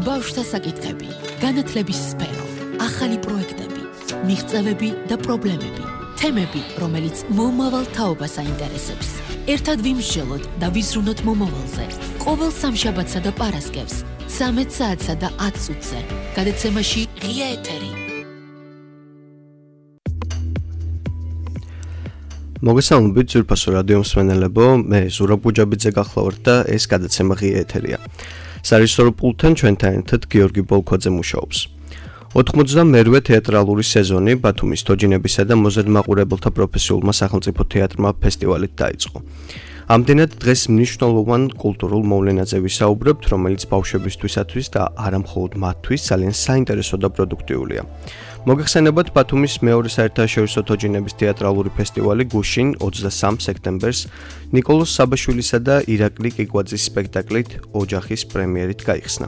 ბავშვთა საკითხები, განათლების სფერო, ახალი პროექტები, მიღწევები და პრობლემები, თემები, რომელიც მომავალ თაობას აინტერესებს. ერთად ვიმსჯელოთ და ვიზრუნოთ მომავალზე. ყოველ სამშაბათსა და პარასკევს, 13 საათსა და 10 წუთზე. გადაცემაში ღია ეთერი. მოგესალმებით ძვირფასო რადიო მსმენელებო, მე ზურაბ გუჯაბიძე გახლავართ და ეს გადაცემა ღია ეთერია. სარისორო პულტთან ჩვენთან ერთად გიორგი ბოლქვაძე მუშაობს. 92-ე თეატრალური სეზონი ბათუმის თოჯინებისა და მოზრდ-მაყურებელთა პროფესიულმა სახელმწიფო თეატრმა ფესტივალით დაიწყო. ამდენად დღეს მნიშვნელოვან კულტურულ მოვლენაზე ვისაუბრებთ, რომელიც ბავშვებისთვისათვის და არა მხოლოდ მათთვის ძალიან საინტერესო და პროდუქტიულია. მოგეხსენებათ ბათუმის მეორე საერთაშორისო თოჯინების თეატრალური ფესტივალი გუშინ 23 სექტემბერს ნიკოლოზ საბაშვილისა და ირაკლი კიკვაძის სპექტაკლით ოჯახის პრემიერით გაიხსნა.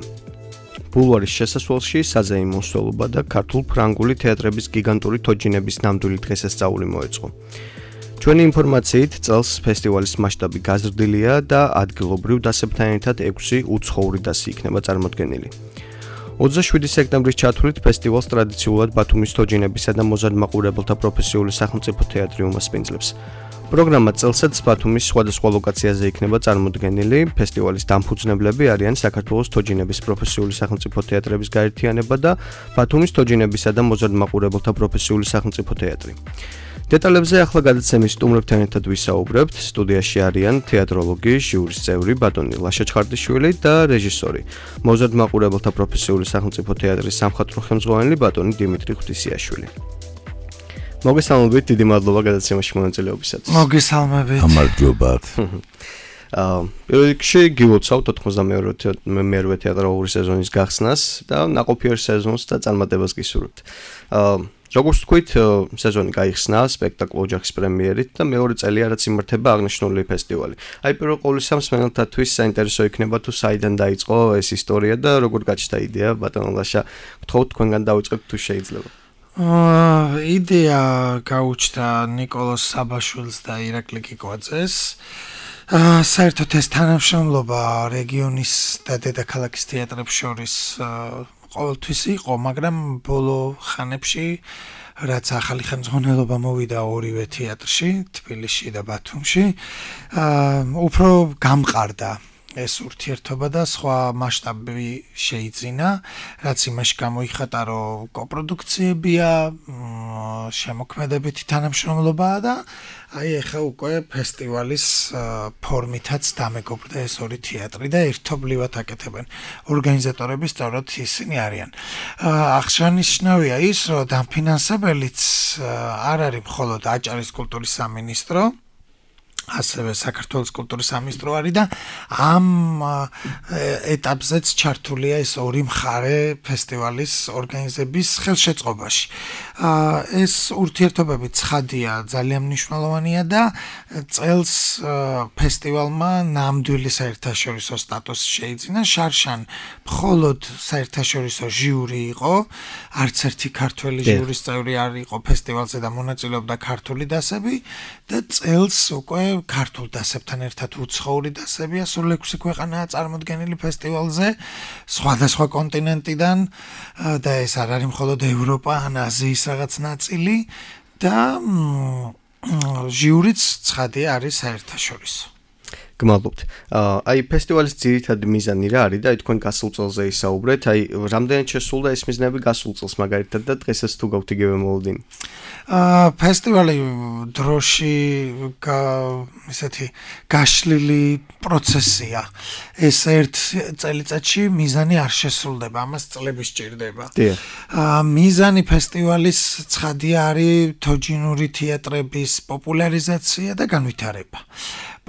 ბულვარის შესასვლელში საზეიმო მსვლელობა და ქართულ-ფრანგული თეატრების გიგანტური თოჯინების ნამდვილი დღესასწაული მოეწყო. ჩვენი ინფორმაციით წელს ფესტივალის მასშტაბი გაზრდილია და ადგილობრივ დასებთან ერთად 6 უცხოური დასი იქნება წარმოდგენილი. 27 სექტემბრის ჩათვლით ფესტივალს ტრადიციულად ბათუმის თოჯინებისა და მოზრდ-მაყურებელთა პროფესიული სახელმწიფო თეატრი უმასპინძლებს. პროგრამა წელსაც ბათუმის სხვადასხვა ლოკაციაზე იქნება წარმოდგენილი. ფესტივალის დამფუძნებლები არიან საქართველოს თოჯინების პროფესიული სახელმწიფო თეატრების გაერთიანება და ბათუმის თოჯინებისა და მოზრდ-მაყურებელთა პროფესიული სახელმწიფო თეატრი. დეტალებზე ახლა გადაცემის სტუმრებთან ერთად ვისაუბრებთ. სტუდიაში არიან თეატროლოგი, ჟიურის წევრი ბატონი ლაშა ჩხარდიშვილი და რეჟისორი, მოზრდ-მაყურებელთა პროფესიული სახელმწიფო თეატრის სამხატვრო ხელმძღვანელი ბატონი დიმიტრი ღვთისიაშვილი. მოგესალმებით, დიდი მადლობა გადაცემაში მონაწილეობისათვის. მოგესალმებით. გამარჯობათ. პირველ რიგში გილოცავთ 92-ე თეატრალური სეზონის გახსნას და ნაყოფიერ სეზონს და წარმატებას გისურვებთ. როგორც თქვით, სეზონი გაიხსნა სპექტაკლ ოჯახის პრემიერით და მეორე წელი რაც იმართება აღნიშნული ფესტივალი. აი პირველ ყოვლისა მსმენელთათვის საინტერესო იქნება თუ საიდან დაიწყო ეს ისტორია და როგორ გაჩნდა იდეა, ბატონო ლაშა, გთხოვთ თქვენგან დავიწყებთ თუ შეიძლება. იდეა გაუჩნდა ნიკოლოზ საბაშვილს და ირაკლი კიკვაძეს. საერთოდ ეს თანამშრომლობა რეგიონის და დედაქალაქის თეატრებს შორის ყოველთვის იყო, მაგრამ ბოლო ხანებში რაც ახალი ხელმძღვანელობა მოვიდა ორივე თეატრში, თბილისში და ბათუმში, უფრო გამყარდა ეს ურთიერთობა და სხვა მასშტაბი შეიძინა, რაც იმაში გამოიხატა, რომ კოპროდუქციებია, შემოქმედებითი თანამშრომლობაა და აი ეხა უკვე ფესტივალის ფორმითაც დამეგობრდა ეს ორი თეატრი და ერთობლივად აკეთებენ. ორგანიზატორები სწორედ ისინი არიან. აღსანიშნავია ის, რომ დამფინანსებელიც არ არის მხოლოდ აჭარის კულტურის სამინისტრო, ასევე საქართველოს კულტურის სამინისტრო არის და ამ ეტაპზეც ჩართულია ეს ორი მხარე ფესტივალის ორგანიზების ხელშეწყობაში. ეს ურთიერთობები ცხადია, ძალიან მნიშვნელოვანია და წელს ფესტივალმა ნამდვილი საერთაშორისო სტატუსი შეიძინა. შარშან მხოლოდ საერთაშორისო ჟიური იყო, არც ერთი ქართველი ჟიურის წევრი არ იყო ფესტივალზე და მონაწილეობდა ქართული დასები და წელს უკვე ქართულ დასებთან ერთად უცხოური დასებია, სულ 6 ქვეყანაა წარმოდგენილი ფესტივალზე, სხვადასხვა კონტინენტიდან და ეს არ არის მხოლოდ ევროპა, ან აზიის რაღაც ნაწილი და ჟიურიც ცხადია არის საერთაშორისო. გმადლობთ. აი ფესტივალის ძირითადი მიზანი რა არის და აი თქვენ გასულ წელზე ისაუბრეთ, აი რამდენად შესულდა ეს მიზნები გასულ წელს მაგალითად და დღესაც თუ გაქვთ იგივე მოლოდინი? ფესტივალი დროში ესეთი გაშლილი პროცესია. ეს ერთ წელიწადში მიზანი არ შესრულდება, ამას წლები სჭირდება. მიზანი ფესტივალის ცხადია არის თოჯინური თეატრების პოპულარიზაცია და განვითარება.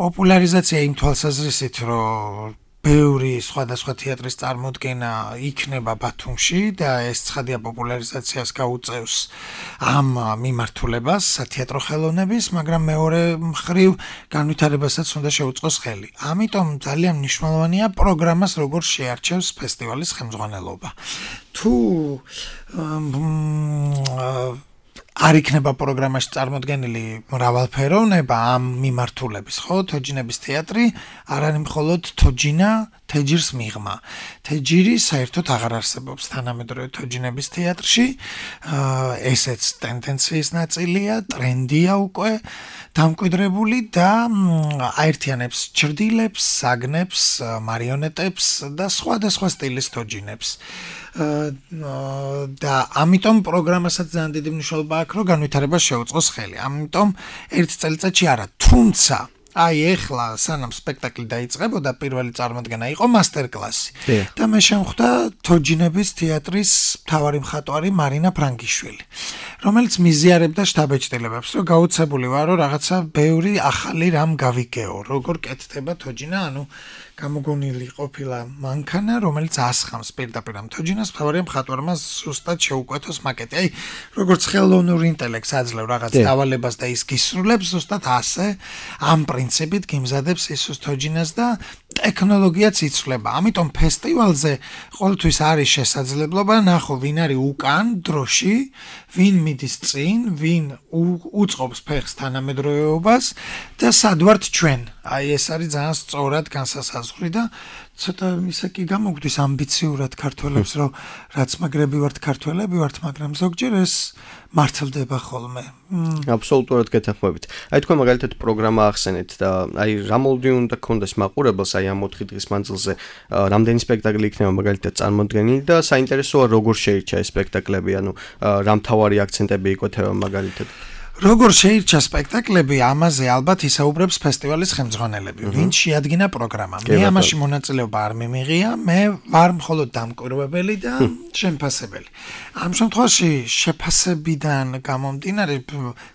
პოპულარიზაცია იმ თვალსაზრისით, რომ ბევრი სხვადასხვა თეატრის წარმოდგენა იქნება ბათუმში და ეს ცხადია პოპულარიზაციას გაუწევს ამ მიმართულებას სათეატრო ხელოვნების, მაგრამ მეორე მხრივ განვითარებასაც უნდა შეუწყოს ხელი. ამიტომ ძალიან მნიშვნელოვანია პროგრამას როგორ შეარჩევს ფესტივალის ხელმძღვანელობა. თუ არ იქნება პროგრამაში წარმოდგენილი მრავალფეროვნება ამ მიმართულების, ხო? თოჯინების თეატრი არ არის მხოლოდ თოჯინა, თეჯირს მიღმა. თეჯირი საერთოდ აღარ არსებობს თანამედროვე თოჯინების თეატრში. ესეც ტენდენციის ნაწილია, ტრენდია უკვე დამკვიდრებული და აერთიანებს ჭრდილებს, საგნებს, მარიონეტებს და სხვადასხვა სტილის თოჯინებს. და ამიტომ პროგრამასაც ძალიან დიდი მნიშვნელობა აქვს, რომ განვითარება შეუწყოს ხელი. ამიტომ ერთ წელიწადში არა, თუმცა აი ეხლა სანამ სპექტაკლი დაიწყებოდა, პირველი წარმოდგენა იყო მასტერკლასი. და მე შემხვდა თოჯინების თეატრის მთავარი მხატვარი მარინა ფრანგიშვილი, რომელიც მიზიარებდა შტაბ-ეჭდილებებს, რომ გაუცებული ვარ, რომ რაღაცა ბევრი ახალი რამ გავიგეო, როგორ კეთდება თოჯინა, ანუ გამოგონილი ყოფილა მანქანა, რომელიც ასხამს პირდაპირ ამ თოჯინას, მთავარია მხატვარმა ზუსტად შეუკვეთოს მაკეტი. აი, როგორც ხელოვნურ ინტელექტს აძლევ რაღაც დავალებას და ის გისრულებს, ზუსტად ასე ამ პრინციპით გიმზადებს ის თოჯინას და ტექნოლოგიაც იცვლება. ამიტომ ფესტივალზე ყოველთვის არის შესაძლებლობა ნახო, ვინ არის უკან დროში, ვინ მიდის წინ, ვინ უწყობს ფეხს თანამედროვეობას და სად ვართ ჩვენ. აი ეს არის ძალიან სწორად განსასაზღვრი და ცოტა ისე კი გამოგვდის ამბიციურად ქართველებს, რომ რაც მაგრები ვართ ქართველები ვართ, მაგრამ ზოგჯერ ეს მართლდება ხოლმე. აბსოლუტურად გეთანხმებით. აი თქვენ მაგალითად პროგრამა ახსენეთ და აი რა მოლოდინი უნდა გქონდეს მაყურებელს აი ამ 4 დღის მანძილზე რამდენი სპექტაკლი იქნება მაგალითად წარმოდგენილი და საინტერესოა როგორ შეირჩა ეს სპექტაკლები, ანუ რა მთავარი აქცენტები იკვეთება მაგალითად. როგორ შეირჩა სპექტაკლები, ამაზე ალბათ ისაუბრებს ფესტივალის ხელმძღვანელები, ვინც შეადგინა პროგრამა. მე ამაში მონაწილეობა არ მიმიღია, მე ვარ მხოლოდ დამკვირვებელი და შემფასებელი. ამ შემთხვევაში შეფასებიდან გამომდინარე,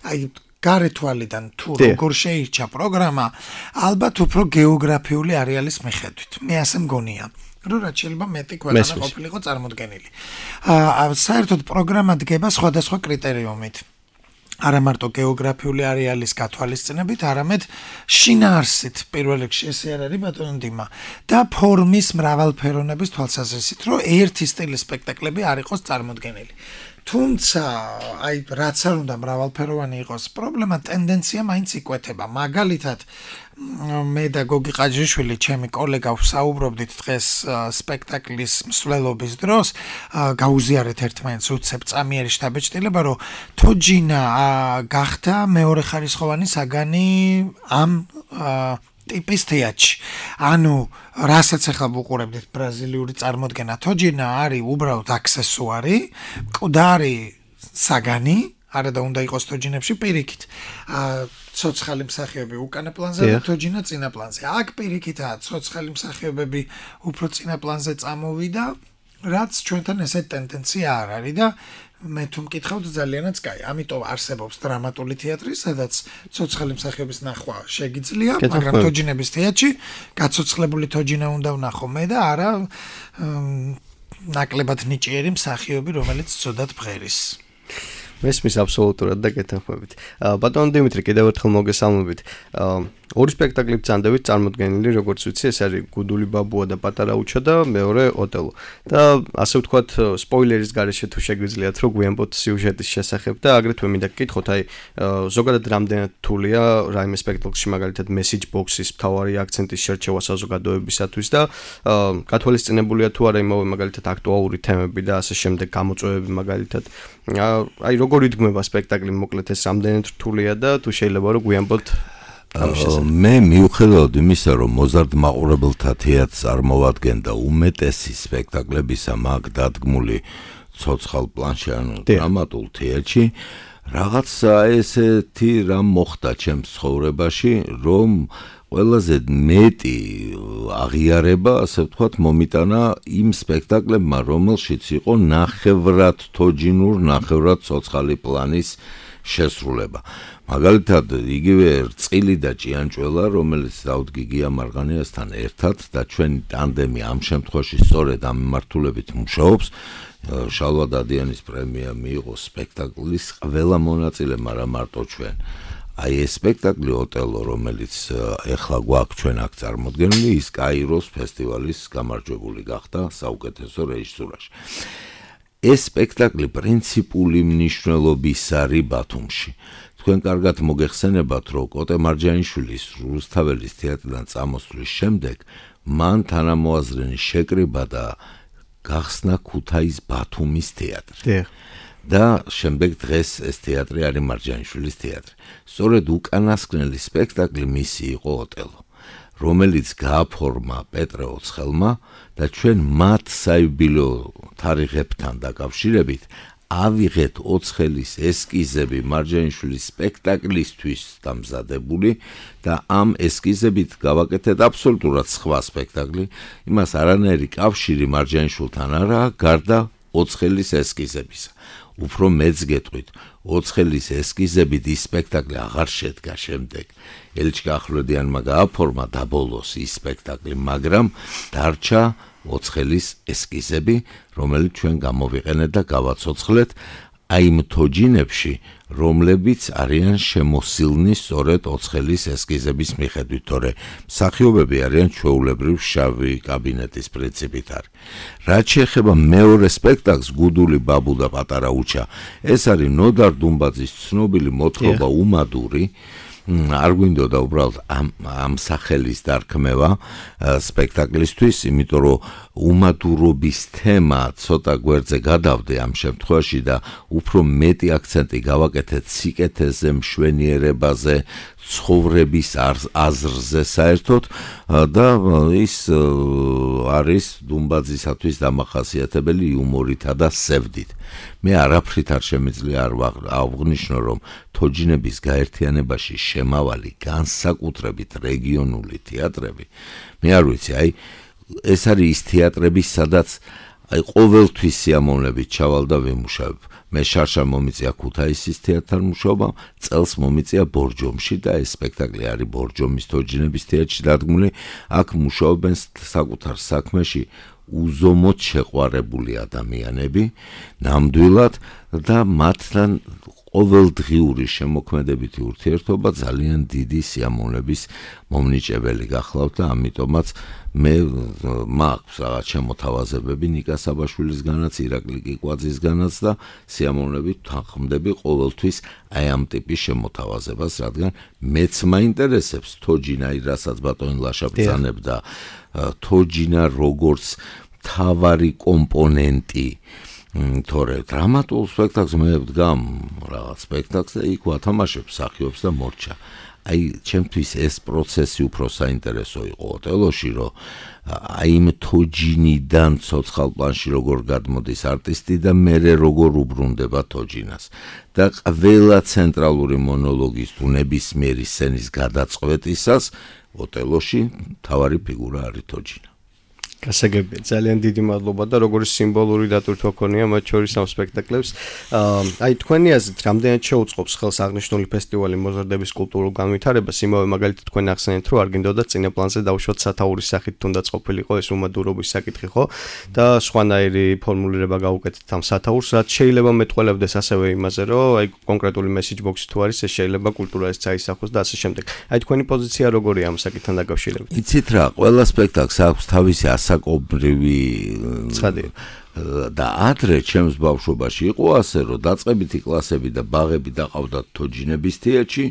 აი გარეთვალიდან თუ როგორ შეირჩა პროგრამა, ალბათ უფრო გეოგრაფიული არეალის მიხედვით. მე ასე მგონია. რომ რაც შეიძლება მეტი ქვეყანა ყოფილიყო წარმოდგენილი. საერთოდ პროგრამა დგება სხვადასხვა კრიტერიუმით. არა მარტო გეოგრაფიული არეალის გათვალისწინებით, არამედ შინაარსით, პირველ რიგში ესე არ არის ბატონო დიმა და ფორმის მრავალფეროვნების თვალსაზრისით, რომ ერთი სტილის სპექტაკლები არ იყოს წარმოდგენილი. თუმცა, აი რაც არ უნდა მრავალფეროვანი იყოს, პრობლემა ტენდენცია მაინც იკვეთება. მაგალითად, მე და გოგი ყაჯიშვილი, ჩემი კოლეგა ვსაუბრობდით დღეს სპექტაკლის მსვლელობის დროს, გაუზიარეთ ერთმანეთს უცებ წამიერი შტაბ-ეჭდილება, რომ თოჯინა გახდა მეორეხარისხოვანი საგანი ამ ტიპის თეატრში. ანუ რასაც ახლა ვუყურებდით ბრაზილიური წარმოდგენა, თოჯინა არის უბრალოდ აქსესუარი, მკვდარი საგანი, არა და უნდა იყოს თოჯინებში პირიქით. ცოცხალი მსახიობები უკანა პლანზე და თოჯინა წინა პლანზე. აქ პირიქითაა ცოცხალი მსახიობები უფრო წინა პლანზე წამოვიდა, რაც ჩვენთან ესეთ ტენდენცია არ არის და მე თუ მკითხავთ ძალიანაც კაი. ამიტომ არსებობს დრამატული თეატრი, სადაც ცოცხალი მსახიობის ნახვა შეგიძლია, მაგრამ თოჯინების თეატრში გაცოცხლებული თოჯინა უნდა ვნახო მე და არა ნაკლებად ნიჭიერი მსახიობი, რომელიც ცუდად ბღერის. მესმის აბსოლუტურად და გეთანხმებით. ბატონო დიმიტრი, კიდევ ერთხელ მოგესალმებით. ორი სპექტაკლი ბრძანდებით წარმოდგენილი, როგორც ვიცი, ეს არის გუდული ბაბუა და პატარა უჩა და მეორე ოტელო. და ასე ვთქვათ, სპოილერის გარეშე თუ შეგვიძლიათ რომ გვიანბოთ სიუჟეტის შესახებ და აგრეთვე მინდა გკითხოთ, აი ზოგადად რამდენად რთულია რაიმე სპექტაკლში მაგალითად message box-ის მთავარი აქცენტის შერჩევა საზოგადოებისათვის და გათვალისწინებულია თუ არა იმავე მაგალითად აქტუალური თემები და ასე შემდეგ გამოწვევები მაგალითად. აი როგორ იდგმება სპექტაკლი მოკლედ ეს რამდენად რთულია და თუ შეიძლება რომ გვიანბოთ მე მიუხედავად იმისა, რომ მოზარდ მაყურებელთა თეატრს წარმოვადგენდა უმეტესი სპექტაკლებისა მაგ დადგმული ცოცხალ პლანში, ანუ დრამატულ თეატრში, რაღაცა ესეთი რამ მოხდა ჩემს ცხოვრებაში, რომ ყველაზე მეტი აღიარება, ასე ვთქვათ, მომიტანა იმ სპექტაკლებმა, რომელშიც იყო ნახევრად თოჯინურ, ნახევრად ცოცხალი პლანის შესრულება. მაგალითად, იგივე რწყილი და ჭიანჭველა, რომელიც დავთ გიგია მარღანიასთან ერთად და ჩვენი ტანდემი ამ შემთხვევაში სწორედ ამ მიმართულებით მუშაობს, შალვა დადიანის პრემია მიიღო სპექტაკლის ყველა მონაწილემ, არა მარტო ჩვენ. აი ეს სპექტაკლი ოტელო, რომელიც ეხლა გვაქვს ჩვენ აქ წარმოდგენილი, ის კაიროს ფესტივალის გამარჯვებული გახდა საუკეთესო რეჟისურაში. ეს სპექტაკლი პრინციპული მნიშვნელობის არის ბათუმში. თქვენ კარგად მოგეხსენებათ, რომ კოტე მარჯანიშვილის რუსთაველის თეატრიდან წამოსვლის შემდეგ მან თანამოაზრენი შეკრიბა და გახსნა ქუთაის ბათუმის თეატრი. და შემდეგ დღეს ეს თეატრი არის მარჯანიშვილის თეატრი. სწორედ უკანასკნელი სპექტაკლი მისი იყო ოტელო, რომელიც გააფორმა პეტრე ოცხელმა და ჩვენ მათ საიუბილეო თარიღებთან დაკავშირებით ავიღეთ ოცხელის ესკიზები მარჯანიშვილის სპექტაკლისთვის დამზადებული და ამ ესკიზებით გავაკეთეთ აბსოლუტურად სხვა სპექტაკლი, იმას არანაირი კავშირი მარჯანიშვილთან არაა გარდა ოცხელის ესკიზებისა. უფრო მეც გეტყვით, ოცხელის ესკიზებით ის სპექტაკლი აღარ შედგა შემდეგ. ელჩიკა ახვლედიანმა გააფორმა დაბოლოს ის სპექტაკლი, მაგრამ დარჩა ოცხელის ესკიზები, რომელიც ჩვენ გამოვიყენეთ და გავაცოცხლეთ აი იმ თოჯინებში, რომლებიც არიან შემოსილნი სწორედ ოცხელის ესკიზების მიხედვით, თორე მსახიობები არიან ჩვეულებრივ შავი კაბინეტის პრინციპით არის. რაც შეეხება მეორე სპექტაკლს გუდული ბაბუ და პატარა უჩა, ეს არის ნოდარ დუმბაძის ცნობილი მოთხრობა უმადური. არ გვინდოდა უბრალოდ ამ სახელის დარქმევა სპექტაკლისთვის, იმიტომ რომ უმადურობის თემა ცოტა გვერდზე გადავდე ამ შემთხვევაში და უფრო მეტი აქცენტი გავაკეთეთ სიკეთეზე, მშვენიერებაზე, ცხოვრების აზრზე საერთოდ და ის არის დუმბაძისათვის დამახასიათებელი იუმორითა და სევდით. მე არაფრით არ შემიძლია არ აღვნიშნო, რომ თოჯინების გაერთიანებაში შემავალი განსაკუთრებით რეგიონული თეატრები, მე არ ვიცი, აი ეს არის ის თეატრები, სადაც აი ყოველთვის სიამოვნებით ჩავალ და ვიმუშავებ. მე შარშან მომიწია ქუთაისის თეატრთან მუშაობა, წელს მომიწია ბორჯომში და ეს სპექტაკლი არის ბორჯომის თოჯინების თეატრში დადგმული. აქ მუშაობენ საკუთარ საქმეში უზომოდ შეყვარებული ადამიანები, ნამდვილად და მათთან ყოველდღიური შემოქმედებითი ურთიერთობა ძალიან დიდი სიამოვნების მომნიჭებელი გახლავთ და ამიტომაც მე მაქვს რაღაც შემოთავაზებები ნიკა საბაშვილისგანაც, ირაკლი კიკვაძისგანაც და სიამოვნებით თანხმდები ყოველთვის აი ამ ტიპის შემოთავაზებას, რადგან მეც მაინტერესებს თოჯინა, რასაც ბატონი ლაშა ბრძანებდა, თოჯინა როგორც მთავარი კომპონენტი. თორე დრამატულ სპექტაკლს მე ვდგამ რაღაც სპექტაკლს და იქ ვათამაშებ მსახიობს და მორჩა. აი ჩემთვის ეს პროცესი უფრო საინტერესო იყო ოტელოში, რომ აი იმ თოჯინიდან ცოცხალ პლანში როგორ გადმოდის არტისტი და მერე როგორ უბრუნდება თოჯინას და ყველა ცენტრალური მონოლოგის თუ ნებისმიერი სცენის გადაწყვეტისას ოტელოში მთავარი ფიგურა არის თოჯინა. გასაგებია, ძალიან დიდი მადლობა და როგორი სიმბოლური დატვირთვა ქონია მათ შორის ამ სპექტაკლებს. აი თქვენი აზრით, რამდენად შეუწყობს ხელს აღნიშნული ფესტივალი მოზარდების კულტურულ განვითარებას? იმავე მაგალითად თქვენ ახსენეთ, რომ არ გინდოდათ წინა პლანზე დავუშვათ სათაურის სახით თუნდაც ყოფილიყო ეს უმადურობის საკითხი, ხო? და სხვანაირი ფორმულირება გავუკეთეთ ამ სათაურს, რაც შეიძლება მეტყველებდეს ასევე იმაზე, რომ აი კონკრეტული message box-ი თუ არის, ეს შეიძლება კულტურას წაისახოს და ასე შემდეგ. აი თქვენი პოზიცია როგორია ამ საკითხთან დაკავშირებით? იცით რა, ყველა სპექტაკლს აქვს თავისი საკობრივი და ადრე ჩემს ბავშვობაში იყო ასე, რომ დაწყებითი კლასები და ბაღები დაყავდათ თოჯინების თეატრში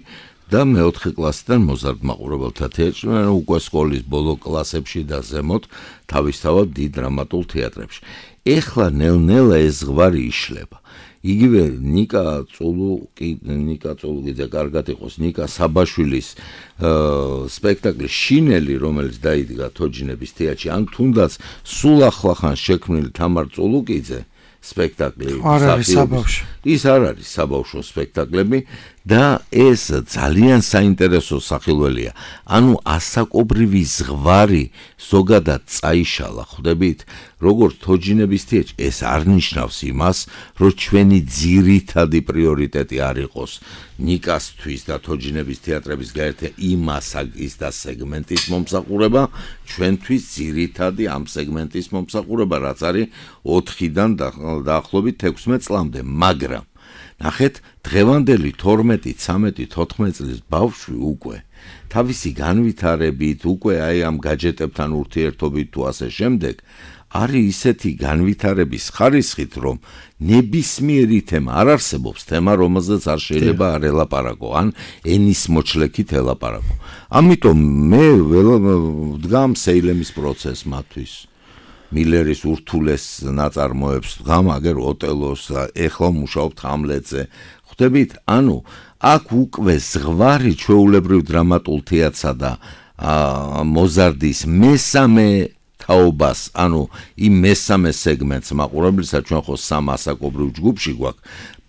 და მეოთხე კლასიდან მოზარდ მაყურებელთა თეატრში, უკვე სკოლის ბოლო კლასებში და ზემოთ თავისთავად დიდ დრამატულ თეატრებში. ეხლა ნელ-ნელა ეს ზღვარი იშლება. იგივე ნიკა წოლუგიძე კარგად იყოს, ნიკა საბაშვილის სპექტაკლი შინელი, რომელიც დაიდგა თოჯინების თეატრში, ან თუნდაც სულ ახლახან შექმნილი თამარ წოლუგიძე სპექტაკლი ის არ არის საბავშვო სპექტაკლები და ეს ძალიან საინტერესო სახილველია. ანუ ასაკობრივი ზღვარი ზოგადად წაიშალა, ხვდებით? როგორც თოჯინების თეატრში, ეს არ ნიშნავს იმას, რომ ჩვენი ძირითადი პრიორიტეტი არ იყოს ნიკასთვის და თოჯინების თეატრების გაერთიანება იმ ასაკის და სეგმენტის მომსახურება, ჩვენთვის ძირითადი ამ სეგმენტის მომსახურება, რაც არის 4-დან დაახლოებით 16 წლამდე, მაგრამ ნახეთ, დღევანდელი 12, 13, 14 წლის ბავშვი უკვე თავისი განვითარებით, უკვე აი ამ გაჯეტებთან ურთიერთობით თუ ასე შემდეგ, არის ისეთი განვითარების ხარისხით, რომ ნებისმიერი თემა არ არსებობს, თემა რომელზეც არ შეიძლება არ ელაპარაკო, ან ენის მოჩლექით ელაპარაკო. ამიტომ მე ვდგამ სეილემის პროცესს მათთვის. მილერის ურთულეს ნაწარმოებს ვდგამ, აგერ ოტელოს, ეხლა მუშაობთ ჰამლეტზე. ხვდებით, ანუ აქ უკვე ზღვარი ჩვეულებრივ დრამატულ თეატრსა და მოზარდის მესამე თაობას, ანუ იმ მესამე სეგმენტს მაყურებლისა ჩვენ ხო სამ ასაკობრივ ჯგუფში გვაქვს.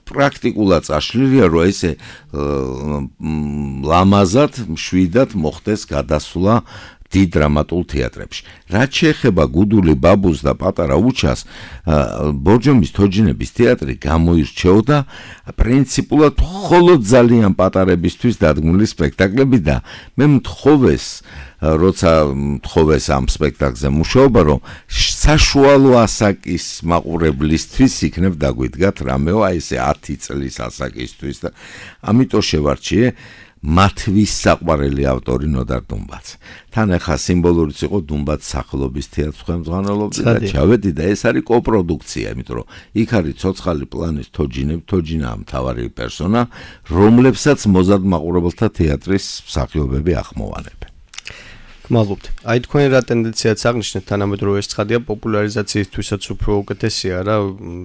პრაქტიკულად წაშლილია, რომ ესე ლამაზად, მშვიდად მოხდეს გადასვლა დიდ დრამატულ თეატრებში. რაც შეეხება გუდული ბაბუს და პატარა უჩას, ბორჯომის თოჯინების თეატრი გამოირჩეოდა პრინციპულად მხოლოდ ძალიან პატარებისთვის დადგმული სპექტაკლები და მე როცა მთხოვეს ამ სპექტაკლზე მუშაობა, რომ საშუალო ასაკის მაყურებლისთვის იქნებ დაგვიდგათ რამეო, აი ესე 10 წლის ასაკისთვის და ამიტომ შევარჩიე მათთვის საყვარელი ავტორი ნოდარ დუმბაც. თან ახლა სიმბოლურიც იყო დუმბაც სახელობის თეატრს ხელმძღვანელობდა და ჩავედი და ეს არის კოპროდუქცია, იმიტომ რომ იქ არის ცოცხალი პლანის თოჯინა მთავარი პერსონა, რომლებსაც მოზარდ მაყურებელთა თეატრის მსახიობები ახმოვანებენ. გმადლობთ. აი თქვენ რა ტენდენციაც აღნიშნეთ, თანამედროვე ეს ცხადია პოპულარიზაციისთვისაც უფრო უკეთესია რა,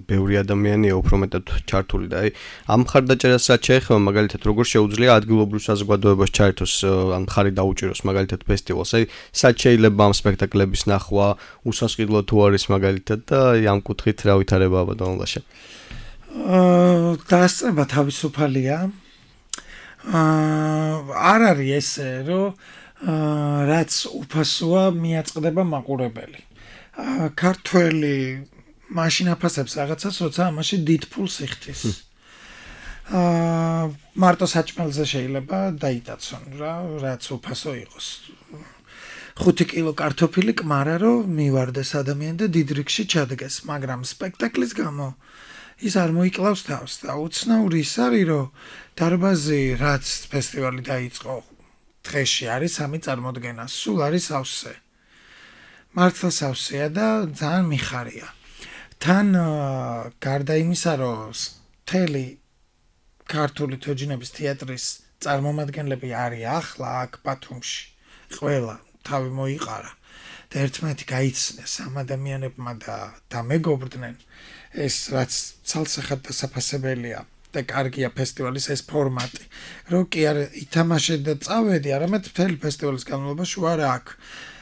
ბევრი ადამიანია უფრო მეტად ჩართული და აი ამ მხარდაჭერას რაც შეეხება, მაგალითად როგორ შეუძლია ადგილობრივ საზოგადოებას ჩაერთოს, ან მხარი დაუჭიროს მაგალითად ფესტივალს, აი სად შეიძლება ამ სპექტაკლების ნახვა, უსასყიდლო თუ არის მაგალითად და აი ამ კუთხით რა ვითარებაა ბატონ ლაშა? დასწრება თავისუფალია. არ არის ესე, რომ რაც უფასოა მიაწყდება მაყურებელი. ქართველი მაშინ აფასებს რაღაცას, როცა ამაში დიდ ფულს იხდის. მარტო საჭმელზე შეიძლება დაიტაცონ რა, რაც უფასო იყოს. 5 კილო კარტოფილი კმარა რომ მივარდეს ადამიანი და დიდ რიგში ჩადგეს, მაგრამ სპექტაკლის გამო ის არ მოიკლავს თავს და უცნაური ის არის, რომ დარბაზი რაც ფესტივალი დაიწყო დღეში არის 3 წარმოდგენა, სულ არის სავსე. მართლა სავსეა და ძალიან მიხარია. თან გარდა იმისა, რომ მთელი ქართული თოჯინების თეატრის წარმომადგენლები არის ახლა აქ ბათუმში, ყველა თავი მოიყარა და ერთმანეთი გაიცნეს ამ ადამიანებმა და დამეგობრდნენ, ეს რაც ცალსახად დასაფასებელია. და კარგია ფესტივალის ეს ფორმატი, რომ კი არ ითამაშე და წავედი, არამედ მთელი ფესტივალის განმავლობაში ვარ აქ.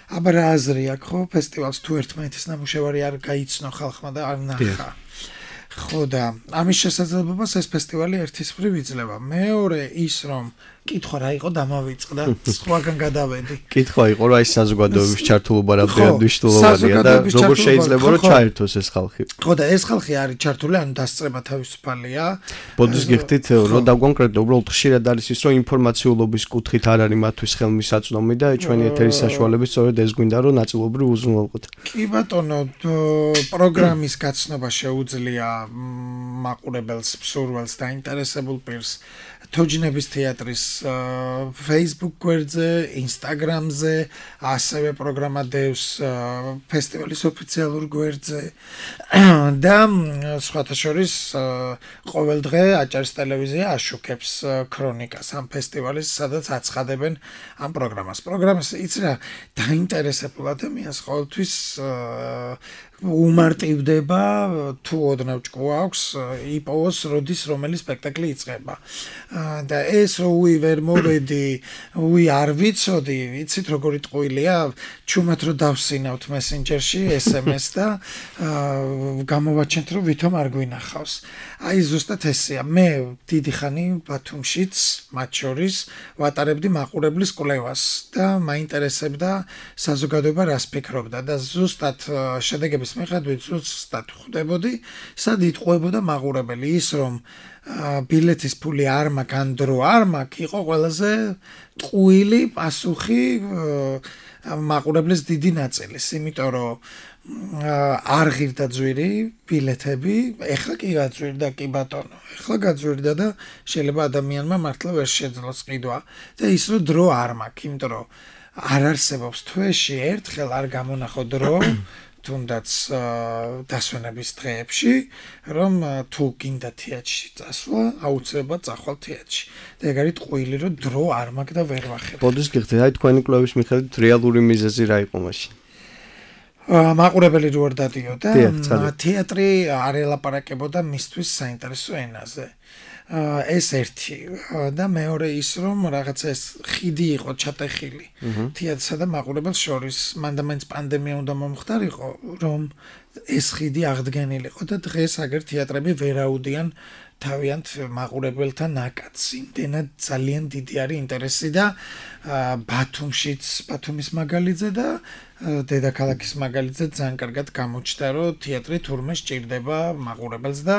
აბა რა აზრი აქვს ხო ფესტივალს თუ ერთმანეთის ნამუშევარი არ გაიცნო ხალხმა და არ ნახა. ხო და ამის შესაძლებლობას ეს ფესტივალი ერთის მხრივ იძლევა. მეორე ის რომ კითხვა რა იყო დამავიწყდა, სხვაგან გადავედი. კითხვა იყო რა ის საზოგადოების ჩართულობა რამდენად მნიშვნელოვანია და როგორ შეიძლება რომ ჩაერთოს ეს ხალხი. ხო და ეს ხალხი არის ჩართული, ანუ დასწრება თავისუფალია. ბოდის გიხდით რომ დავკონკრეტო, უბრალოდ ხშირად არის ის რომ ინფორმაციულობის კუთხით არ არის მათთვის ხელმისაწვდომი და ჩვენი ეთერის საშუალებით სწორედ ეს გვინდა რომ ნაწილობრივ უზრუნველყოთ. კი ბატონო, პროგრამის გაცნობა შეუძლია მაყურებელს, მსურველს და ინტერესებულ პირს თოჯინების თეატრის Facebook გვერდზე, Instagram-ზე, ასევე პროგრამა დევს ფესტივალის ოფიციალურ გვერდზე და სხვათა შორის ყოველ დღე აჭარის ტელევიზია აშუქებს ქრონიკას ამ ფესტივალის, სადაც აცხადებენ ამ პროგრამას. პროგრამას იცი რა, დაინტერესებულ ადამიანს ყოველთვის უმარტივდება თუ ოდნავ ჭკუა აქვს იპოვოს როდის რომელი სპექტაკლი იწყება და ეს რო ვერ მოვედი არ ვიცოდი ვიცით როგორი ტყუილია ჩუმად რო დავსინავთ მესენჯერში SMS და გამოვაჩენთ რომ ვითომ არ გვინახავს აი ზუსტად ესეა მე დიდი ხანი ბათუმშიც მათ შორის ვატარებდი მაყურებლის კვლევას და მაინტერესებდა საზოგადოება რას ფიქრობდა და ზუსტად შედეგების მიხედვით ზუსტად ხვდებოდი სად იტყუებოდა მაყურებელი ის რომ ბილეთის ფული არ მაქვს ან დრო არ მაქვს იყო ყველაზე ტყუილი პასუხი მაყურებლის დიდი ნაწილის იმიტომ რომ არ ღირდა ძვირი ბილეთები ეხლა კი გაძვირდა კი ბატონო ეხლა გაძვირდა და შეიძლება ადამიანმა მართლა ვერ შეძლოს ყიდვა და ის რომ დრო არ მაქვს იმიტომ რომ არ არსებობს თვეში ერთხელ არ გამონახო დრო თუნდაც დასვენების დღეებში, რომ თუ გინდა თეატრში წასვლა, აუცილებლად წახვალ თეატრში. და ეგ არის ტყუილი, რომ დრო არ მაქვს და ვერ ვახერხებ. ბოდის გიხდით, აი თქვენი კვლევის მიხედვით რეალური მიზეზი რა იყო მაშინ? მაყურებელი რო არ დადიოდა, თეატრი არ ელაპარაკებოდა მისთვის საინტერესო ენაზე. ეს ერთი და მეორე ის რომ რაღაცა ეს ხიდი იყო ჩატეხილი თეატრსა და მაყურებელს შორის მანდამაინც პანდემია უნდა მომხდარიყო რომ ეს ხიდი აღდგენილიყო და დღეს აგერ თეატრები ვერაუდიან თავიანთ მაყურებელთან ნაკადს იმდენად ძალიან დიდი არის ინტერესი და ბათუმის მაგალითზე და დედაქალაქის მაგალითზე ძალიან კარგად გამოჩნდა რომ თეატრი თურმე სჭირდება მაყურებელს და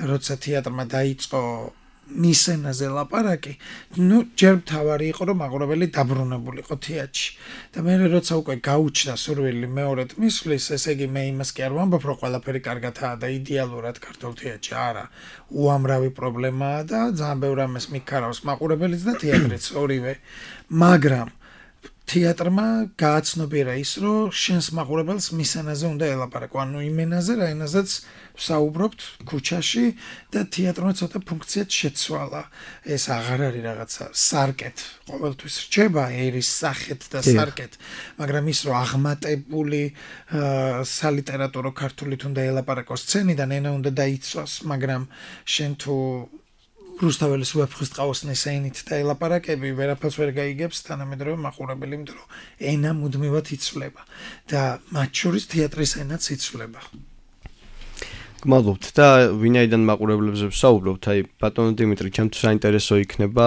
როცა თეატრმა დაიწყო მის ენაზე ლაპარაკი, ჯერ მთავარი იყო რომ მაყურებელი დაბრუნებულიყო თეატრში და მე როცა უკვე გაუჩნდა სურვილი მეორედ მისვლის, ესე იგი მე იმას კი არ ვამბობ რომ ყველაფერი კარგადაა და იდეალურად ქართულ თეატრში არა, უამრავი პრობლემაა და ძალიან ბევრ ამას მიქარავს მაყურებელიც და თეატრიც ორივე, მაგრამ თეატრმა გააცნობიერა ის, რომ შენს მაყურებელს მის ენაზე უნდა ელაპარაკო, ანუ იმ ენაზე, რა ენაზეც ვსაუბრობთ ქუჩაში და თეატრმა ცოტა ფუნქციად შეცვალა. ეს აღარ არის რაღაცა სარკეთ, ყოველთვის რჩება ერის სახეთ და სარკეთ, მაგრამ ის რომ აღმატებული სალიტერატურო ქართულით უნდა ელაპარაკოს სცენიდან, ენა უნდა დაიცვას, მაგრამ შენ თუ რუსთაველის ვეფხისტყაოსნის ენით და ელაპარაკები ვერაფერს ვერ გაიგებს თანამედროვე მაყურებელი, იმიტომ რომ ენა მუდმივად იცვლება და მათ შორის თეატრის ენაც იცვლება. გმადლობთ და ვინაიდან მაყურებლებზე ვსაუბრობთ, აი ბატონო დიმიტრი, ჩემთვის საინტერესო იქნება,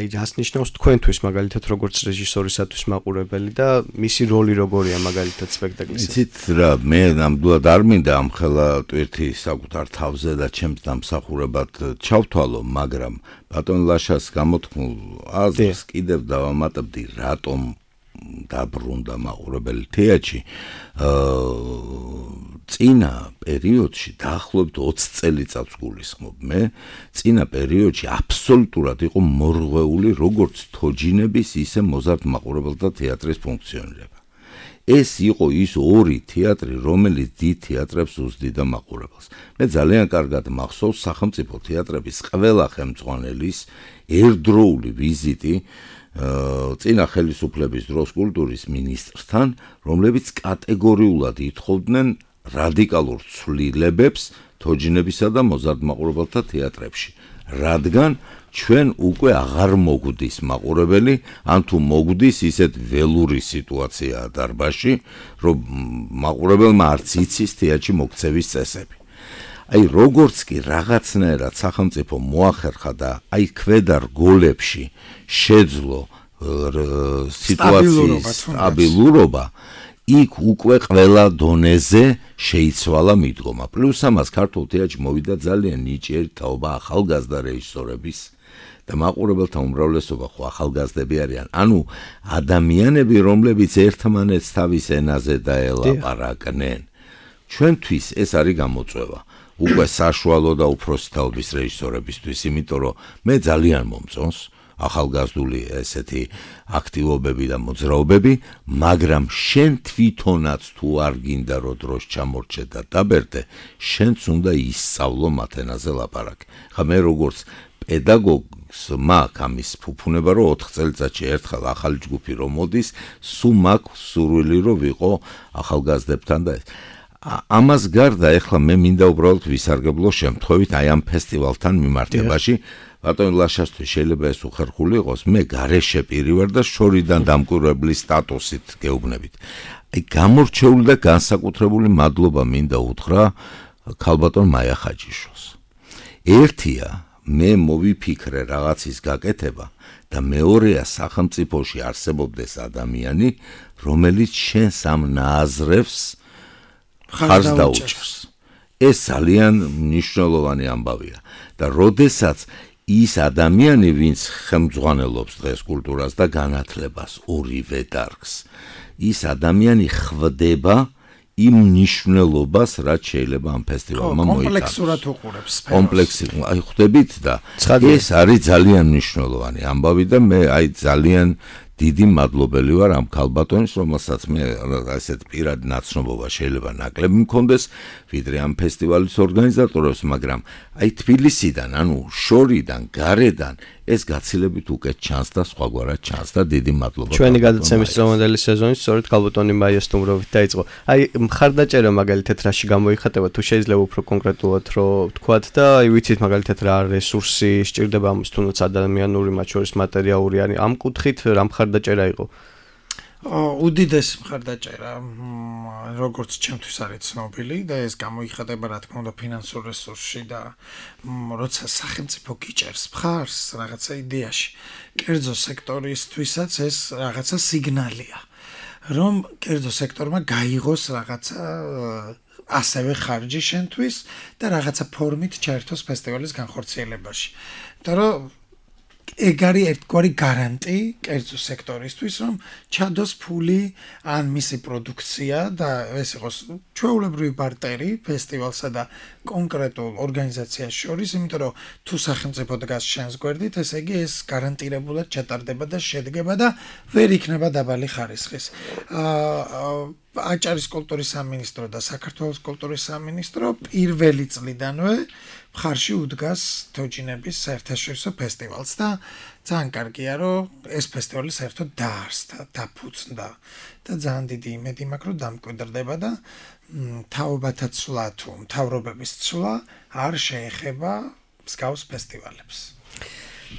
აი რას ნიშნავს თქვენთვის მაგალითად როგორც რეჟისორისათვის მაყურებელი და მისი როლი როგორია მაგალითად სპექტაკლში. იცით რა, მე ნამდვილად არ მინდა ამხელა ტვირთი საკუთარ თავზე და ჩემს დამსახურებად ჩავთვალო, მაგრამ ბატონ ლაშას გამოთქმულ აზრს კიდევ დავამატებდი, რატომ დაბრუნდა მაყურებელი თეატრში. წინა პერიოდში დაახლოებით 20 წელიწადს გულისხმობ მე, წინა პერიოდში აბსოლუტურად იყო მორღვეული როგორც თოჯინების, ისე მოზარდ მაყურებელთა თეატრის ფუნქციონირება. ეს იყო ის ორი თეატრი, რომელიც დიდ თეატრებს უზდიდა მაყურებელს. მე ძალიან კარგად მახსოვს სახელმწიფო თეატრების ყველა ხელმძღვანელის ერთდროული ვიზიტი წინა ხელისუფლების დროს კულტურის მინისტრთან, რომლებიც კატეგორიულად ითხოვდნენ რადიკალურ ცვლილებებს თოჯინებისა და მოზარდ მაყურებელთა თეატრებში, რადგან ჩვენ უკვე აღარ მოგვდის მაყურებელი, ან თუ მოგვდის, ისეთ ველური სიტუაციაა დარბაზში, რომ მაყურებელმა არც იცის თეატრში მოქცევის წესები. აი როგორც კი რაღაცნაირად სახელმწიფო მოახერხა და აი ქვედა რგოლებში შეძლო სიტუაციის სტაბილურობა, იქ უკვე ყველა დონეზე შეიცვალა მიდგომა. პლუს ამას ქართულ თეატრში მოვიდა ძალიან ნიჭიერი თაობა ახალგაზრდა რეჟისორების და მაყურებელთა უმრავლესობა ხო ახალგაზრდები არიან. ანუ ადამიანები, რომლებიც ერთმანეთს თავის ენაზე დაელაპარაკნენ. ჩვენთვის ეს არის გამოწვევა. უკვე საშუალო და უფროსი თაობის რეჟისორებისთვის, იმიტომ რომ მე ძალიან მომწონს ახალგაზრდული ესეთი აქტივობები და მოძრაობები, მაგრამ შენ თვითონაც თუ არ გინდა რომ დროს ჩამორჩე და დაბერდე, შენც უნდა ისწავლო მათ ენაზე ლაპარაკი. ხა მე როგორც პედაგოგს მაქვს ამის ფუფუნება, რომ 4 წელიწადში ერთხელ ახალი ჯგუფი რომ მოდის, სულ მაქვს სურვილი რომ ვიყო ახალგაზრდებთან და ამას გარდა ეხლა მე მინდა უბრალოდ ვისარგებლო შემთხვევით აი ამ ფესტივალთან მიმართებაში. ბატონ ლაშასთვის შეიძლება ეს უხერხული იყოს, მე გარეშე პირი ვარ და შორიდან დამკვირვებლის სტატუსით გეუბნებით. აი გამორჩეული და განსაკუთრებული მადლობა მინდა უთხრა ქალბატონ მაია ხაჯიშვილს. ერთია მე მოვიფიქრე რაღაცის გაკეთება და მეორეა სახელმწიფოში არსებობდეს ადამიანი, რომელიც შენს ამ ნააზრევს ხარს დაუჭერს. ეს ძალიან მნიშვნელოვანი ამბავია და როდესაც ის ადამიანი, ვინც ხელმძღვანელობს დღეს კულტურას და განათლებას ორივე დარგს, ის ადამიანი ხვდება იმ მნიშვნელობას, რაც შეიძლება ამ ფესტივალმა მოიტანოს. კომპლექსურად უყურებს სფეროს. კომპლექსურად, აი ხვდებით და ეს არის ძალიან მნიშვნელოვანი ამბავი და მე აი ძალიან დიდი მადლობელი ვარ ამ ქალბატონის, რომელსაც მე ასეთ პირად ნაცნობობა შეიძლება ნაკლები მქონდეს, ვიდრე ამ ფესტივალის ორგანიზატორებს, მაგრამ აი თბილისიდან, ანუ შორიდან, გარედან ეს გაცილებით უკეთ ჩანს და სხვაგვარად ჩანს და დიდი მადლობა. ჩვენი გადაცემის წლევანდელი სეზონი სწორედ ქალბატონი მაია სტუმრობით დაიწყო. აი მხარდაჭერა მაგალითად რაში გამოიხატება, თუ შეიძლება უფრო კონკრეტულად რომ თქვათ და აი ვიცით მაგალითად რა რესურსი სჭირდება ამის, თუნდაც ადამიანური, მათ შორის მატერიალური, არის ამ კუთხით რა მხარდაჭერა იყო? უდიდესი მხარდაჭერა, როგორც ჩემთვის არის ცნობილი და ეს გამოიხატება რა თქმა უნდა ფინანსურ რესურსში და როცა სახელმწიფო გიჭერს მხარს რაღაცა იდეაში, კერძო სექტორისთვისაც ეს რაღაცა სიგნალია, რომ კერძო სექტორმა გაიღოს რაღაცა ასევე ხარჯი შენთვის და რაღაცა ფორმით ჩაერთოს ფესტივალის განხორციელებაში. იმიტომ რომ ეგ არის ერთგვარი გარანტი კერძო სექტორისთვის, რომ ჩადოს ფული ან მისი პროდუქცია და ეს იყოს ჩვეულებრივი ბარტერი ფესტივალსა და კონკრეტულ ორგანიზაციას შორის, იმიტომ რომ თუ სახელმწიფო დგას შენს გვერდით, ესე იგი ეს გარანტირებულად ჩატარდება და შედგება და ვერ იქნება დაბალი ხარისხის. აჭარის კულტურის სამინისტრო და საქართველოს კულტურის სამინისტრო პირველი წლიდანვე მხარში უდგას თოჯინების საერთაშორისო ფესტივალს და ძალიან კარგია, რომ ეს ფესტივალი საერთოდ დაარსდა, დაფუძნდა და ძალიან დიდი იმედი მაქვს, რომ დამკვიდრდება და თაობათა ცვლა თუ მთავრობების ცვლა არ შეეხება მსგავს ფესტივალებს.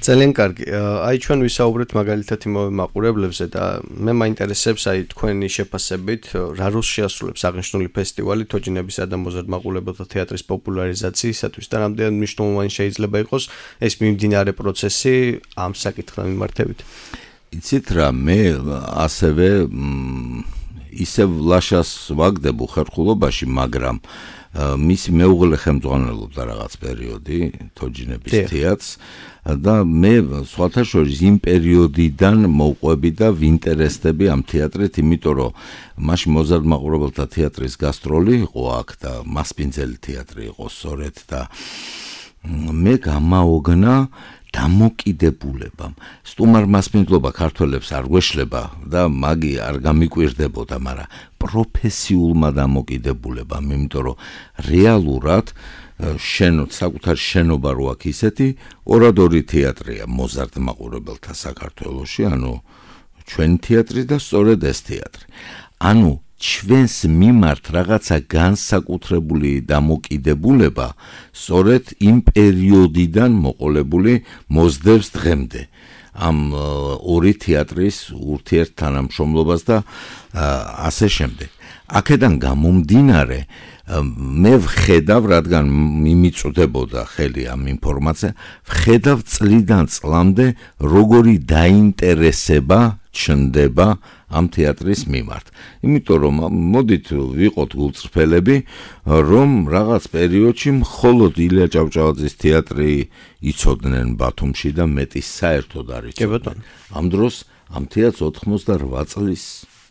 ძალიან კარგი. აი ჩვენ ვისაუბრეთ მაგალითად იმავე მაყურებლებზე და მე მაინტერესებს აი თქვენი შეფასებით რა როლს შეასრულებს აღნიშნული ფესტივალი თოჯინებისა და მოზარდ მაყურებელთა თეატრის პოპულარიზაციისათვის და რამდენად მნიშვნელოვანი შეიძლება იყოს ეს მიმდინარე პროცესი ამ საკითხთან მიმართებით. იცით რა, მე ასევე ისევ ლაშას ვაგდებ უხერხულობაში, მაგრამ მისი მეუღლე ხელმძღვანელობდა რაღაც პერიოდი თოჯინების თეატრს და მე სხვათა შორის იმ პერიოდიდან მოვყვები და ვინტერესდები ამ თეატრით, იმიტომ რომ მაშინ მოზარდ მაყურებელთა თეატრის გასტროლი იყო აქ და მასპინძელი თეატრი იყო სწორედ და მე გამაოგნა დამოკიდებულებამ. სტუმარ მასპინძლობა ქართველებს არ გვეშლება და მაგი არ გამიკვირდებოდა, მაგრამ პროფესიულმა დამოკიდებულებამ, იმიტომ რომ რეალურად საკუთარ შენობა რო აქვს ისეთი ორადორი თეატრია მოზარდ მაყურებელთა საქართველოში, ანუ ჩვენი თეატრი და სწორედ ეს თეატრი. ანუ ჩვენს მიმართ რაღაცა განსაკუთრებული დამოკიდებულება სწორედ იმ პერიოდიდან მოყოლებული მოძდევს დღემდე ამ ორი თეატრის ურთიერთთანამშრომლობას და ასე შემდეგ. აქედან გამომდინარე მე ვხედავ, რადგან მიმიწვდებოდა ხელი ამ ინფორმაცია, ვხედავ წლიდან წლამდე როგორი დაინტერესება ჩნდება ამ თეატრის მიმართ. იმიტომ რომ მოდით ვიყოთ გულწრფელები, რომ რაღაც პერიოდში მხოლოდ ილია ჭავჭავაძის თეატრი იცოდნენ ბათუმში და მეტი საერთოდ არ იცოდნენ. ამ დროს ამ თეატრს 88 წლის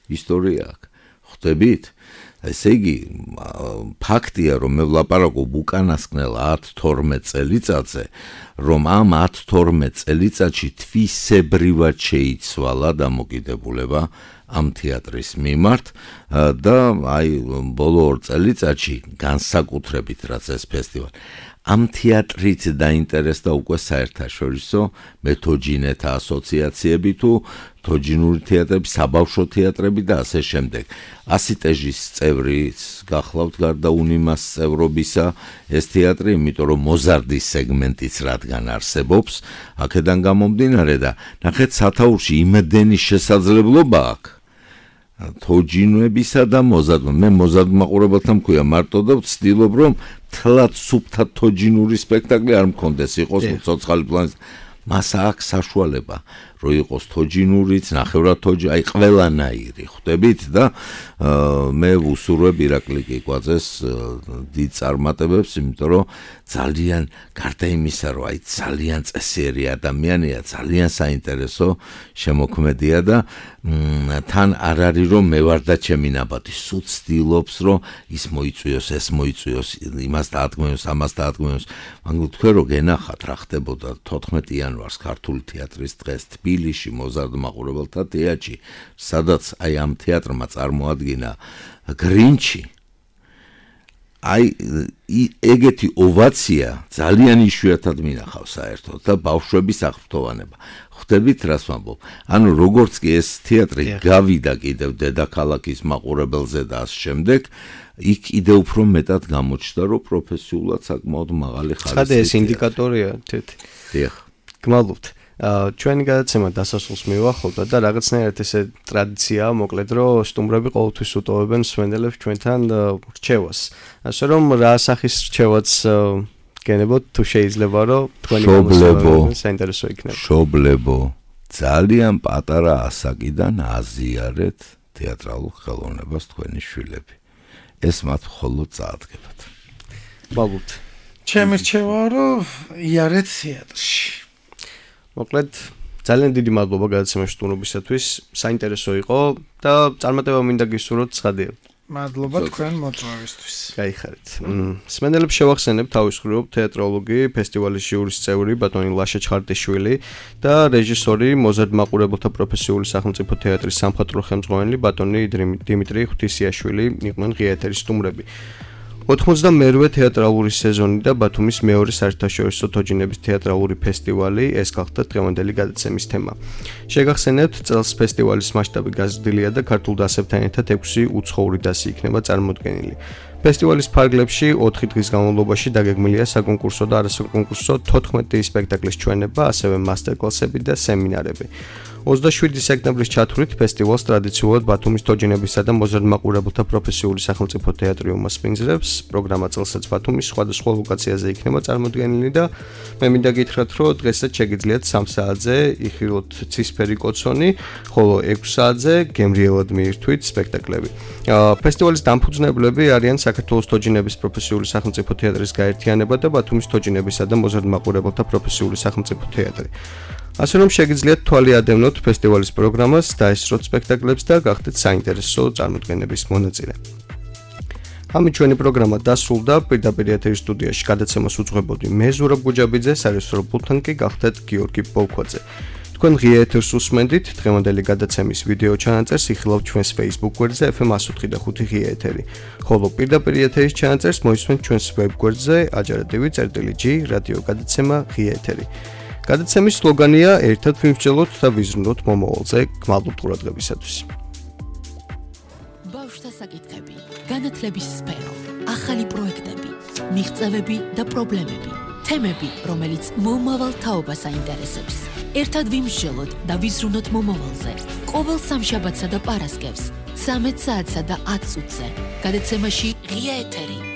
ისტორია აქვს. ხვდებით? ესე იგი, ფაქტია, რომ მე ვლაპარაკობ უკანასკნელ 10-12 წელიწადზე, რომ ამ 10-12 წელიწადში თვისებრივად შეიცვალა დამოკიდებულება ამ თეატრის მიმართ და აი ბოლო 2 წელიწადში განსაკუთრებით რაც ეს ფესტივალი ამ თეატრით დაინტერესდა უკვე საერთაშორისო მეთოჯინეთა ასოციაციები თუ თოჯინური თეატრები, საბავშვო თეატრები და ასე შემდეგ. ასიტეჟის წევრიც გახლავთ გარდა უნიმას წევრობისა ეს თეატრი, იმიტომ რომ მოზარდის სეგმენტიც რადგან არსებობს, აქედან გამომდინარე და ნახეთ სათაურში იმდენი შესაძლებლობა აქვს თოჯინებისა და მოზარდ. მე მოზარდ მაყურებელთა მქვია მარტო და ვცდილობ რომ თლად სუფთა თოჯინური სპექტაკლი არ მქონდეს, იყოს ცოცხალი პლანის. მას აქვს საშუალება, რომ იყოს თოჯინურიც, ნახევრად თოჯი, აი ყველანაირი, ხვდებით და მე ვუსურვებ ირაკლი კიკვაძეს დიდ წარმატებებს, იმიტომ რომ ძალიან გარდა იმისა, რომ აი ძალიან წესიერი ადამიანია, ძალიან საინტერესო შემოქმედია და თან არ არის რომ მე ვარ და ჩემი ნაბადი, სულ ცდილობს რომ ის მოიწვიოს, ეს მოიწვიოს, იმას დაადგმევს, ამას დაადგმევს. მაგრამ თქვენ რო გენახათ რა ხდებოდა 14 იანვარს ქართული თეატრის დღეს თბილისში მოზარდ მაყურებელთა თეატრში, სადაც აი ამ თეატრმა წარმოადგინა გრინჩი. აი ეგეთი ოვაცია ძალიან იშვიათად მინახავს საერთოდ და ბავშვების აღფრთოვანება. ხვდებით რას ვამბობ? ანუ როგორც კი ეს თეატრი გავიდა კიდევ დედაქალაქის მაყურებელზე და ამ შემდეგ იქ კიდევ უფრო მეტად გამოჩნდა, რომ პროფესიულად საკმაოდ მაღალი ხარისხის. ცხადია ეს ინდიკატორია თეთი. დიახ. გმადლობთ. ჩვენი გადაცემა დასასრულს მივახავდა და რაღაცნაირად ესე ტრადიციაა, მოკლედ რომ სტუმრები ყოველთვის უტოვებენ მსმენელებს ჩვენთან რჩევას. ასე რომ რა სახის რჩევაც გენებოთ თუ შეიძლება რომ თქვენი გამოსვლები საინტერესო იქნება. მშობლებო, ძალიან პატარა ასაკიდან აზიარეთ თეატრალურ ხელოვნებას თქვენი შვილები. ეს მათ მხოლოდ წაადგებათ. მოგუთ. ჩემი რჩევაა რომ იარეთ თეატრში. მოკლედ ძალიან დიდი მადლობა გადაცემაში სტუმრობისათვის. საინტერესო იყო და წარმატება მინდა გისურვოთ ცხადია. მადლობა თქვენ მოწვევისთვის. გაიხარეთ. მსმენელებს შევახსენებ თავის მხრივ თეატროლოგი, ფესტივალის ჟიურის წევრი ბატონი ლაშა ჩხარტიშვილი და რეჟისორი მოზარდ მაყურებელთა პროფესიული სახელმწიფო თეატრის სამხატვრო ხელმძღვანელი ბატონი დიმიტრი ღვთისიაშვილი იყვნენ ღია ეთერის სტუმრები. 92-ე თეატრალური სეზონი და ბათუმის მეორე საერთაშორისო თოჯინების თეატრალური ფესტივალი ეს გახდა დღევანდელი გადაცემის თემა. შეგახსენებთ, წელს ფესტივალის მასშტაბი გაზრდილია და ქართულ დასებთან ერთად 6 უცხოური დასი იქნება წარმოდგენილი. ფესტივალის ფარგლებში 4 დღის განმავლობაში დაგეგმილია საკონკურსო და არასაკონკურსო 14 სპექტაკლის ჩვენება, ასევე მასტერკლასები და სემინარები. 27 სექტემბრის ჩათვლით ფესტივალს ტრადიციულად ბათუმის თოჯინებისა და მოზარდ მაყურებელთა პროფესიული სახელმწიფო თეატრი უმასპინძლებს. პროგრამა წელსაც ბათუმის სხვადასხვა ლოკაციაზე იქნება წარმოდგენილი და მე მინდა გითხრათ, რომ დღესაც შეგიძლიათ 3 საათზე იხილოთ ცისფერი კოცონი, ხოლო 6 საათზე გემრიელად მიირთვით სპექტაკლები. ფესტივალის დამფუძნებლები არიან საქართველოს თოჯინების პროფესიული სახელმწიფო თეატრის გაერთიანება და ბათუმის თოჯინებისა და მოზარდ მაყურებელთა პროფესიული სახელმწიფო თეატრი. ასე რომ შეგიძლიათ თვალი ადევნოთ ფესტივალის პროგრამას, დაესწროთ სპექტაკლებს და გახდეთ საინტერესო წარმოდგენების მონაწილე. ამით ჩვენი პროგრამა დასრულდა. პირდაპირ ეთერის სტუდიაში გადაცემას უძღვებოდი მე ზურაბ გუჯაბიძე, სარესტაურო პულტთან კი გახდეთ გიორგი ბოლქვაძე. თქვენ ღია ეთერს უსმენდით. დღევანდელი გადაცემის ვიდეო ჩანაწერს იხილავთ ჩვენს Facebook გვერდზე FM 105.5 ღია ეთერი. ხოლო პირდაპირ ეთერის ჩანაწერს მოისმენთ ჩვენს web გვერდზე ajaradivit.g რადიო გადაცემა ღია ეთერი. გადაცემის სლოგანია ერთად ვიმსჯელოთ და ვიზრუნოთ მომავალზე. გმადლობთ ყურადღებისათვის. ბავშვთა საკითხები, განათლების სფერო, ახალი პროექტები, მიღწევები და პრობლემები, თემები, რომელიც მომავალ თაობას აინტერესებს. ერთად ვიმსჯელოთ და ვიზრუნოთ მომავალზე. ყოველ სამშაბათსა და პარასკევს 13 საათსა და 10 წუთზე. გადაცემაში ღია ეთერი.